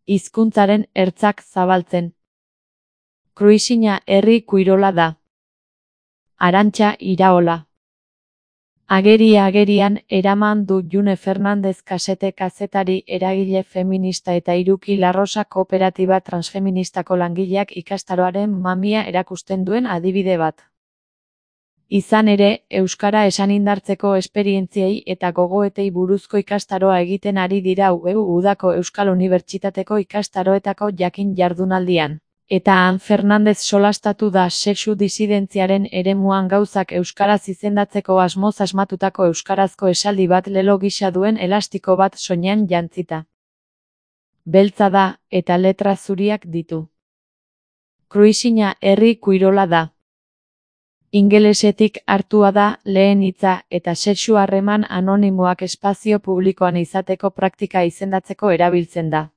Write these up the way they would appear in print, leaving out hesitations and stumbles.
hizkuntzaren ertzak zabaltzen. Kruisina herri Kuirola da. Arantxa Iraola. Agerian eraman du June Fernandez Kasete kazetari, eragile feminista eta Iruki Larrosa kooperatiba transfeministako langileak ikastaroaren mamia erakusten duen adibide bat. Izan ere, euskara esan indartzeko esperientziei eta gogoetei buruzko ikastaroa egiten ari dira udako Euskal Unibertsitateko ikastaroetako jakin jardunaldian. Eta han Fernandez solastatu da sexu disidentziaren eremuan gauzak euskaraz izendatzeko asmoz asmatutako euskarazko esaldi bat lelo gisa duen elastiko bat soinean jantzita. Beltza da, eta letra zuriak ditu. Kruisina herri Kuirola da. Ingelesetik hartua da lehen hitza eta sexu harreman anonimoak espazio publikoan izateko praktika izendatzeko erabiltzen da.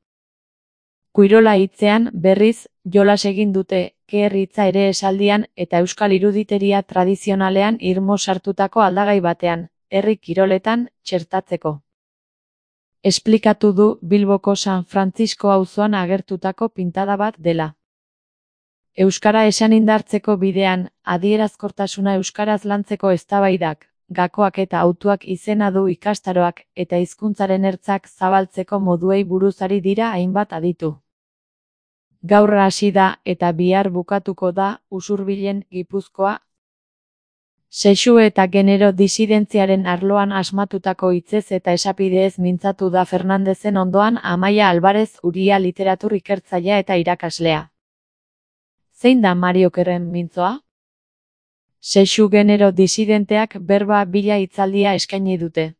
Kuirola hitzean, berriz, jolas egin dute, keher hitza ere esaldian eta euskal iruditeria tradizionalean irmo sartutako aldagai batean, herri kiroletan, txertatzeko. Esplikatu du Bilboko San Frantzisko auzoan agertutako pintada bat dela. Euskara esan indartzeko bidean, adierazkortasuna euskaraz lantzeko eztabaidak, gakoak eta hautuak izena du ikastaroak eta hizkuntzaren ertzak zabaltzeko moduei buruz ari dira hainbat aditu. Gaur hasi da eta bihar bukatuko da Usurbilen Gipuzkoa. Sexu eta genero disidentziaren arloan asmatutako hitzez eta esapideez mintzatu da Fernandezen ondoan Amaia Alvarez Uria literatur ikertzailea eta irakaslea. Zein da Mari Okerren mintzoa? Sexu genero disidenteak berba bila hitzaldia eskaini dute.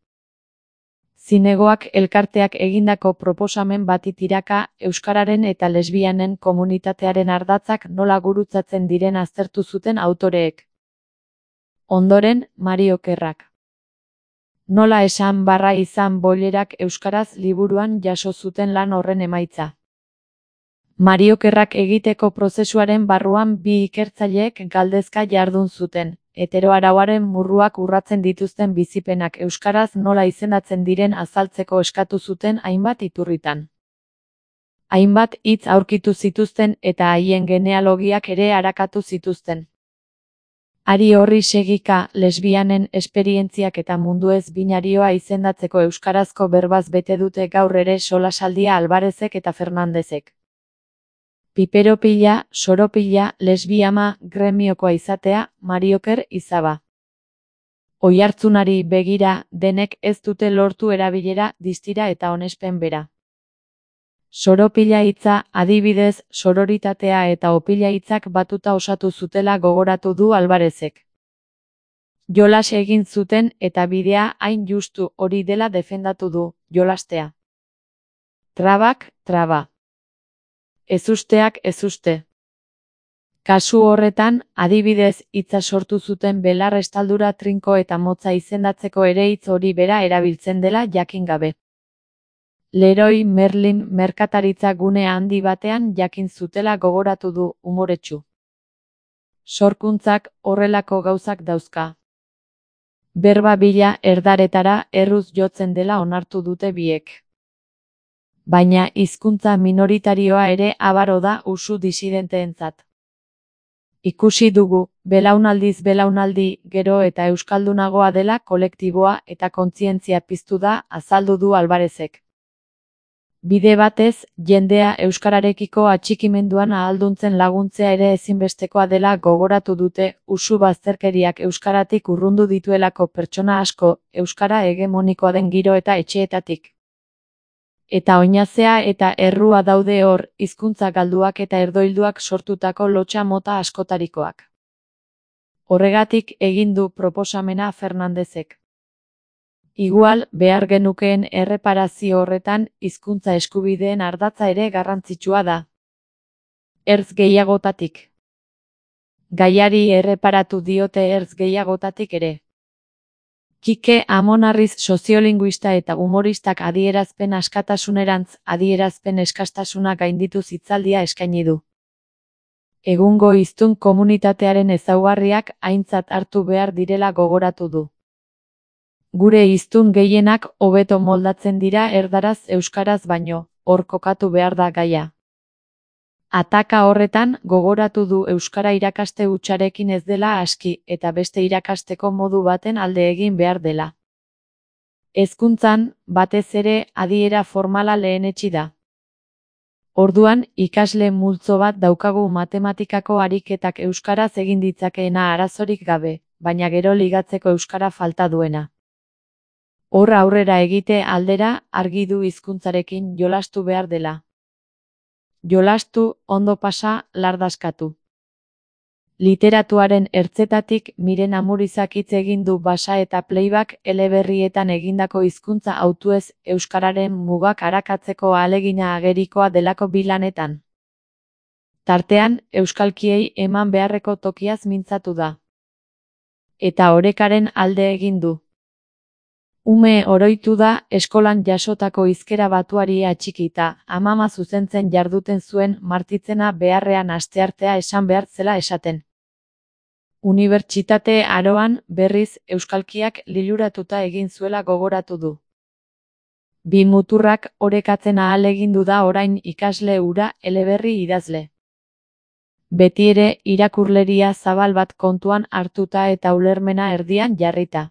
Zinegoak elkarteak egindako proposamen bati tiraka, euskararen eta lesbianen komunitatearen ardatzak nola gurutzatzen diren aztertu zuten autoreek. Ondoren, Mari Okerrak. Nola esan barra izan boilerak euskaraz liburuan jaso zuten lan horren emaitza. Mari Okerrak egiteko prozesuaren barruan bi ikertzaileek galdezka jardun zuten. Heteroarauaren murruak urratzen dituzten bizipenak euskaraz nola izendatzen diren azaltzeko eskatu zuten hainbat iturritan. Hainbat hitz aurkitu zituzten eta haien genealogiak ere arakatu zituzten. Hari horri segika, lesbianen esperientziak eta munduez binarioa izendatzeko euskarazko berbaz bete dute gaur ere solasaldia Alvarezek eta Fernandezek. Piperopila, soropila, lesbiama, gremiokoa izatea, Mari Oker izaba. Oihartzunari begira, denek ez dute lortu erabilera, distira eta onespen bera. Soropila hitza, adibidez, sororitatea eta opila hitzak batuta osatu zutela gogoratu du Alvarezek. Jolas egin zuten eta bidea hain justu hori dela defendatu du, jolastea. Trabak, traba. Ezusteak ezuste. Kasu horretan, adibidez, hitza sortu zuten belar estaldura trinko eta motza izendatzeko ere hitz hori bera erabiltzen dela jakin gabe. Leroy Merlin merkataritza gune handi batean jakin zutela gogoratu du umoretsu. Sorkuntzak horrelako gauzak dauzka. Berba bila erdaretara erruz jotzen dela onartu dute biek. Baina hizkuntza minoritarioa ere abaro da usu disidenteentzat. Ikusi dugu, belaunaldiz belaunaldi, gero eta euskaldunagoa dela kolektiboa eta kontzientzia piztu da, azaldu du Alvarezek. Bide batez, jendea euskararekiko atxikimenduan ahalduntzen laguntzea ere ezinbestekoa dela gogoratu dute, usu bazterkeriak euskaratik urrundu dituelako pertsona asko, euskara hegemonikoa den giro eta etxeetatik. Eta oinazea eta errua daude hor, hizkuntza galduak eta erdoilduak sortutako lotsa mota askotarikoak. Horregatik egin du proposamena Fernandezek. Igual, behar genukeen erreparazio horretan, hizkuntza eskubideen ardatza ere garrantzitsua da. Ertz gehiagotatik. Gaiari erreparatu diote ertz gehiagotatik ere. Kike Amonarriz soziolinguista eta humoristak adierazpen askatasunerantz adierazpen eskastasuna gainditu hitzaldia eskaini du. Egungo hiztun komunitatearen ezaugarriak aintzat hartu behar direla gogoratu du. Gure hiztun gehienak hobeto moldatzen dira erdaraz euskaraz baino, hor kokatu behar da gaia. Ataka horretan gogoratu du euskara irakaste hutsarekin ez dela aski eta beste irakasteko modu baten alde egin behar dela. Hezkuntzan, batez ere, adiera formala lehenetsi da. Orduan, ikasle multzo bat daukagu matematikako ariketak euskaraz egin ditzakeena arazorik gabe, baina gero ligatzeko euskara falta duena. Hor aurrera egite aldera, argi du hizkuntzarekin jolastu behar dela. Jolastu, ondo pasa, lardaskatu. Literatuaren ertzetatik Miren Amurizak hitz egin du Basa eta Playback eleberrietan egindako hizkuntza hautuez euskararen mugak arakatzeko ahalegina agerikoa delako bi lanetan. Tartean, euskalkiei eman beharreko tokiaz mintzatu da. Eta orekaren alde egin du. Ume oroitu da eskolan jasotako hizkera batuari atxikita, amama zuzentzen jarduten zuen Martitzena beharrean asteartea esan behar zela esaten. Unibertsitate aroan, berriz, euskalkiak liluratuta egin zuela gogoratu du. Bi muturrak orekatzen ahalegindu da orain ikasle hura eleberri idazle. Betiere irakurleria zabal bat kontuan hartuta eta ulermena erdian jarrita.